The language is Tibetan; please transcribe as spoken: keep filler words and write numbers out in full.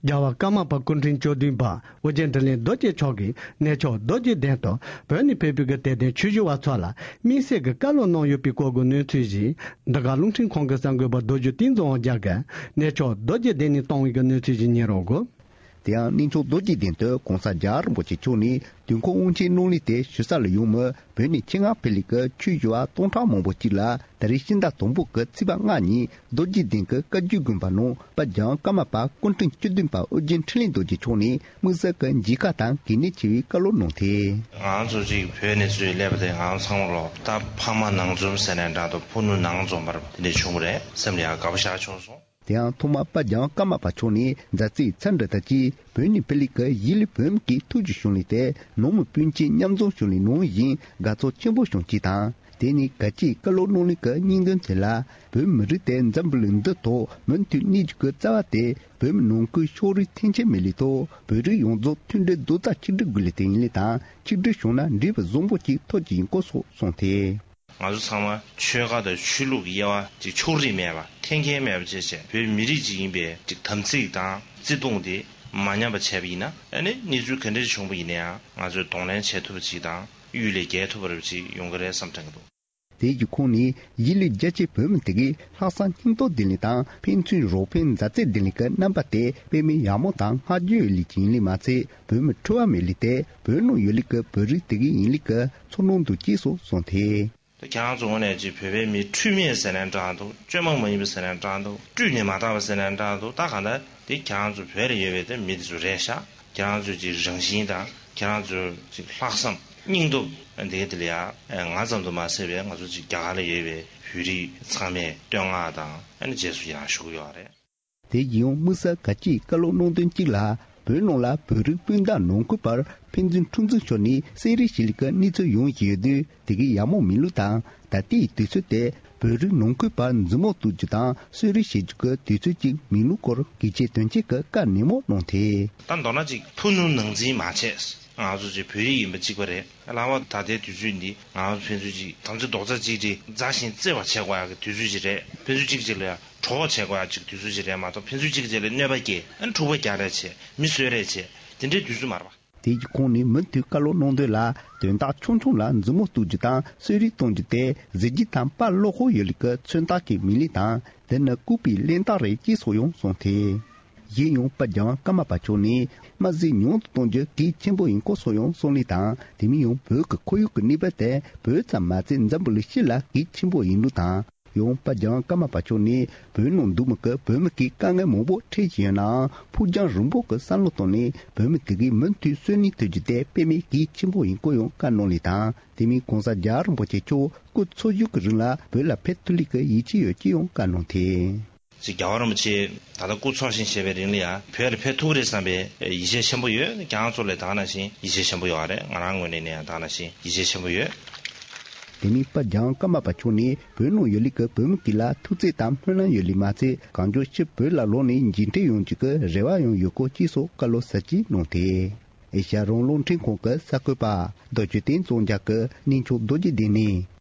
རྒྱལ་བ་ཀརྨ་པ་སྐུ་ཕྲེང་བཅུ་བདུན་པ་ཨོ་རྒྱན་འཕྲིན་ལས་རྡོ་རྗེ་མཆོག་གིས་གནས་མཆོག་རྡོ་རྗེ་གདན་དུ་བོད་ནས་ཕེབས་པའི་གི་དད་ལྡན་ཆོས་ཞུ་བ་ཚོ་ལ་དམིགས་བསལ་གྱི་བཀའ་སློབ་གནང་ཡོད་པའི་སྐོར་གྱི་གནས་ཚུལ་ཞིག་འདི་ག་རླུང་འཕྲིན་ཁང་གི་གསར་འགོད་པ་རྡོ་རྗེ་བསྟན་འཛིན་དབང་རྒྱལ་གྱིས་གནས་མཆོག་རྡོ་རྗེ་གདན་ནས་བཏང་བའི་གི་གནས་ཚུལ་ཞིག་ཉན་རོགས་གོ། དེ་ཡང་གནས་མཆོག་རྡོ་རྗེ་གདན་དུ་གོང་ས་རྒྱལ་བ་རིན་པོ་ཆེ་མཆོག་ནས་དུས་འཁོར་དབང་ཆེན་གནང་ལུགས་དེ་ཞུ་ས་ལ་ཡོང་མི་བོད་ནས་ཆེད་མངགས་ཕེབས་ལས་ཀྱི་ཆོས་ཞུ་བ་སྟོང་ཕྲག་མང་པོ་གཅིག་ལ་ད་རེས་ཕྱི་ཟླ་དང་པོ་གི་ཚེས་པ་ལྔ་ཉིན་རྡོ་རྗེ་གདན་གྱི་བཀའ་བརྒྱུད་དགོན་པ་ནང་དཔལ་རྒྱལ་བ་ཀརྨ་པ་སྐུ་ཕྲེང་བཅུ་བདུན་པ་ཨོ་རྒྱན་འཕྲིན་ལས་རྡོ་རྗེ་མཆོག་ནས་དམིགས་བསལ་གྱི་མཇལ་ཁ་དང་གལ་གནད་ཆེ་བའི་བཀའ་སློབ་གནང་སྟེ། ང་ཚོ་གཅིག་བོད་ནས་ཚུར་སླེབས་པ་དེ་ང་ཚང་མ་ལོ་ད་ཕ་མ་ནང་འཛོམས་ཟེར་ནའི་འདྲ་འདུག་ཕུ་ནུ་ནང་འཛོམས་པར་དེ་འདྲ་བྱུང་བ་རེད། སེམས་ལ་ཡང་དགའ་པོ་ཞེ་དྲག་བྱུང་སོང་། དེ་ཡང་ཐོག་མར་དཔལ་རྒྱལ་བ་ཀརྨ་པ་མཆོག་ནས་མཛའ་བརྩེའི་འཚམས་འདྲི་དང་བཅས་བོད་ནས་ཕེབས་ལས་ཀྱི་གཞིས་ལུས་བོད་མི་གི་ཐུགས་རྒྱུད་བྱུང་ལས་ཏེ་ནང་མི་སྤུན་མཆེད་མཉམ་འཛོམས་བྱུང་ལས་ནང་བཞིན་དགའ་ཚོར་ཆེན་པོ་བྱུང་ཅིག་དང་། དེ་ནས་གལ་ཆེའི་བཀའ་སློབ་གནང་ལས་ཀྱི་སྙིང་དོན་དེ་ལ་བོད་མི་རིགས་དེ་འཛམ་བུ་གླིང་འདི་ཐོག་མུ་མཐུད་གནས་རྒྱུ་གི་རྩ་བ་དེ་བོད་མི་ནང་ཁུལ་ཕྱོགས་རིས་འཐེན་འཁྱེར་མེད་ལས་ཐོག་བོད་རིགས་ཡོངས་རྫོགས་མཐུན་སྒྲིལ་རྡོག་རྩ་གཅིག་སྒྲིལ་དགོས་ལས་དེ་ཡིན་ལས་དང་ཆིག་སྒྲིལ་བྱུང་ན་འབྲས་བུ་བཟང་པོ་ཅིག་ཐོབ་ཀྱི་ཡིན་སྐོར་སོགས་གསུངས་ཏེ། ང་ཚོ་ཚང་མ་ཆོལ་ཁ་དང་ཆོས་ལུགས་ཀྱི་དབྱེ་བ་ཅིག་ཕྱོགས་རིས་མེད་པ་འཐེན་འཁྱེར་མེད་པ་བཅས་བྱས་བོད་མི་རིགས་ཅིག་ཡིན་པའི་ཅིག་དམ་ཚིག་དང་བརྩེ་དུང་དེ་མ་ཉམས་པ་བྱས་པ་ཡིན་ན་ཨ་ནི་གནས་ཚུལ་ག་འདྲ་བྱུང་བ་ཡིན་ན་ཡང་ང་ཚོས་གདོང་ལེན་བྱེད་ཐུབ་པ་ཅིག་དང་གཡུལ་ལས་རྒྱལ་ཐུབ་པ་ཅིག་ཡོང་གི་རེད་བསམ་དྲན་གྱི་འདུག་དེའི་ཁོངས་ནས་གཞིས་ལུས་རྒྱ་ཆེ་བོད་མི་དེ་གའི་ལྷག་བསམ་སྙིང་སྟོབས་ལྡན་ལས་དང་ཕན་ཚུན་རོགས་ཕན་མཛའ་བརྩེ་ལྡན་ལས་ཀྱི་རྣམ་པ་དེ་དཔེ་མི་ཡག་མོ་དང་བསྔགས་བརྗོད་ཡོད་ལས་ཅིག་ཡིན་ལས་མ་ཚད་བོད་མི་འཁྲུལ་བ་མེད་ལས་དེ་བོད་ནང་ཡོད་ལས་ཀྱི་བོད་རིགས་དེ་གའི་ཡིན་ལས་ཀྱི་ཚོར་སྣང་འདུག་ཅེས་སོགས་གསུངས་ཏེ། ད་ཁྱེད་རང་ཚོ་ངོས་ནས་ཅིག་བོད་པའི་མི་འཁྲུལ་མེད་ཟེར་ནའི་འདྲ་འདུག་བཅོས་མ་མ་ཡིན་པ་ཟེར་ནའི་འདྲ་འདུག་བཀྲུས་ནས་མ་དག་པ་ཟེར་ནའི་འདྲ་འདུག་ད་གང་ལྟར་དེ་ཁྱེད་རང་ཚོ་བོད་ལ་ཡོད་པའི་དེ་མི་དེ་ཚོ་རེད་ཤག་ཁྱེད་རང་ཚོའི་ཅིག་རང་བཞིན་དང་ཁྱེད་རང་ཚོའི་ཅིག་ལྷག་བསམ་སྙིང་སྟོབས་འདི་ག་དེ་ལ་ཡང་ང་ཙམ་དུ་མ་ཟད་པའི་ང་ཚོ་ཅིག་རྒྱ་གར་ལ་ཡོད་པའི་བོད་རིགས་ཚང་མས་བསྟོད་བསྔགས་དང་ཨ་ནི་རྗེས་སུ་ཡང་ཞུ་གི་ཡོད་རེད། དེ་ཡིན་ཡང་དམིགས་བསལ་གལ་ཆེའི་བཀའ་སློབ་གནང་དོན་གཅིག་ལ་བོད་ནང་ལ་བོད་རིགས་སྤུན་ཟླ་ནང་ཁུལ་བར་ཕན་ཚུན་འཁྲུག་འཛིང་ཤོར་ནས་བསད་རེས་བྱེད་ལུགས་ཀྱི་གནས་ཚུལ་ཡོང་བཞིན་ཡོད་དུས་དེ་གའི་ཡག་མོ་མིན་ལུགས་དང་ད་ལྟའི་དུས་ཚོད་དེ་བོད་རིགས་ནང་ཁུལ་བར་མཛུབ་མོ་གཏུག་རྒྱུ་དང་གསོད་རེས་བྱེད་རྒྱུ་གི་དུས་ཚོད་ཅིག་མིན་ལུགས་སྐོར་གལ་ཆེ་དོན་ཆེ་གི་བཀའ་ནན་མོ་གནང་སྟེ། ད་མདོར་ན་ཅིག་ཕུ་ནུ་ནང་འཛིང་མ་བྱེད། ང་ཚོ་ཅིག་བོད་རིགས་ཡིན་པ་གཅིག་པ་རེད། ལྷག་པར་ད་ལྟའི་དུས་ཚོད་འདི་ང་ཚོ་ཕན་ཚུན་ཅིག་དམ་ཚིག་རྡོག་རྩ་གཅིག་སྒྲིལ་མཛའ་ཞིང་བརྩེ་བ་བྱེད་དགོས་ཡག་གི་དུས་ཚོད་ཅིག་རེད། ཕན་ཚུན་གཅིག་གཅིག་ལ་ཡང་གྲོགས་པོ་བྱེད་དགོས་ཡག་ཅིག་དུས་ཚོད་ཅིག་རེད་མ་གཏོགས་ཕན་ཚུན་གཅིག་གཅིག་ལ་གནོད་པ་སྐྱེལ་ཨ་འཁྲུག་པ་རྒྱག་རེས་བྱེད་མི་གསོད་རེས་བྱེད་དེ་འདྲའི་དུས་ཚོད་མ་རེད་པ། དེའི་ཁོངས་ནས་མུ་མཐུད་བཀའ་སློབ་གནང་དོན་ལ་དོན་དག་ཆུང་ཆུང་ལ་མཛུབ་མོ་གཏུག་རྒྱུ་དང་གསོད་རེས་གཏོང་རྒྱུ་དེ་གཟི་བརྗིད་དང་དཔའ་བློ་ཁོག་ཡོད་ལུགས་ཀྱི་མཚོན་རྟགས་ཀྱི་མིན་ལུགས་དང་དེ་ནི་ལྐུགས་པའི་གླེན་རྟགས་རེད་ཅེས་སོགས་ཡང་གསུངས་ཏེ། གཞན་ཡང་དཔལ་རྒྱལ་བ་ཀརྨ་པ་མཆོག་ནས་དམར་ཟས་ཉུང་དུ་གཏོང་རྒྱུ་གལ་ཆེན་པོ་ཡིན་སྐོར་སོགས་ཡང་གསུངས་ལུགས་དང་དེ་མིན་ཡང་བོད་ཀྱི་ཁོར་ཡུག་གི་གནས་བབ་དེ་བོད་ཙམ་མ་ཚད་འཛམ་བུ་གླིང་སྤྱི་ལ་གལ་ཆེན་པོ་ཡིན་ལུགས་དང་། ཡང་དཔལ་རྒྱལ་བ་ཀརྨ་པ་མཆོག་ནས་བོད་ནང་འདུག་མི་གི་བོད་མི་གི་དཀའ་ངལ་མང་པོ་འཕྲད་བཞིན་ཡོད་ནའང་ཕུགས་རྒྱང་རིང་པོ་གི་བསམ་བློ་བཏང་ནས་བོད་མི་དེ་གའི་མུ་མཐུད་གསོན་གནས་ཐུབ་རྒྱུ་དེ་དཔེ་མེད་གལ་ཆེན་པོ་ཡིན་སྐོར་ཡང་བཀའ་གནང་ལུགས་དང་དེ་མིན་གོང་ས་རྒྱལ་བ་རིན་པོ་ཆེ་མཆོག་སྐུ་འཚོ་བཞུགས་ཀྱི་རིང་ལ་བོད་ལ་ཕེབས་ཐུབ་ལུགས་ཀྱི་ཡིད་ཆེས་ཡོད་ཅེས་ཡང་བཀའ་གནང་སྟེ། ཅིག་རྒྱལ་བ་རིན་པོ་ཆེ་ད་ལྟ་སྐུ་འཚོ་ཞིང་གཞེས་པའི་རིང་ལ་ཡང་བོད་ལ་ཕེབས་ཐུབ་ཀྱི་རེད་བསམ་པའི་ཡིད་ཆེས་ཆེན་པོ་ཡོད། ཁྱེད་རང་ཚོ་ལ་ད་ག་ནང་བཞིན་ཡིད་ཆེས་ཆེན་པོ་ཡོད་རེད། ང་རང་ངོས་ནས་ནས་ཡང་ད་ག་ནང་བཞིན་ཡིད་ཆེས་ཆེན་པོ་ཡོད། དེ་མིན་དཔལ་རྒྱལ་བ་ཀརྨ་པ་མཆོག་ནས་བོད་ནང་ཡོད་ལུགས་ཀྱི་བོད་མི་དཀྱིལ་ལ་ཐུགས་བརྩེ་དང་སྨོན་ལམ་ཡོད་ལུགས་མ་ཚད་གང་མགྱོགས་ཕྱིར་བོད་ལ་ལོག་ནས་མཇལ་འཕྲད་ཡོང་རྒྱུ་གི་རེ་བ་ཡང་ཡོད་སྐོར་ཅེས་སོགས་བཀའ་སློབ་ཟབ་རྒྱས་གནང་སྟེ། ཨེ་ཤ་ཡ་རང་དབང་རླུང་འཕྲིན་ཁང་གི་གསར་འགོད་པ་རྡོ་རྗེ་བསྟན་འཛིན་དབང་རྒྱལ་གྱིས་གནས་མཆོག་རྡོ་རྗེ་གདན་ནས།